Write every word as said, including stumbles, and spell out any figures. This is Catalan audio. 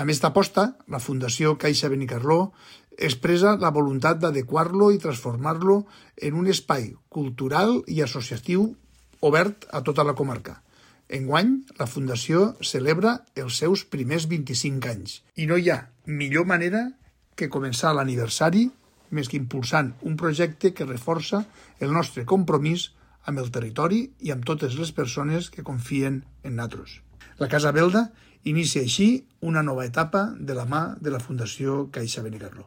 Amb esta aposta, la Fundació Caixa Benicarló expressa la voluntat d'adequar-lo i transformar-lo en un espai cultural i associatiu obert a tota la comarca. Enguany, la Fundació celebra els seus primers vint-i-cinc anys i no hi ha millor manera que començar l'aniversari més que impulsant un projecte que reforça el nostre compromís amb el territori i amb totes les persones que confien en nosaltres. La Casa Belda inicia així una nova etapa de la mà de la Fundació Caixa Benicarló.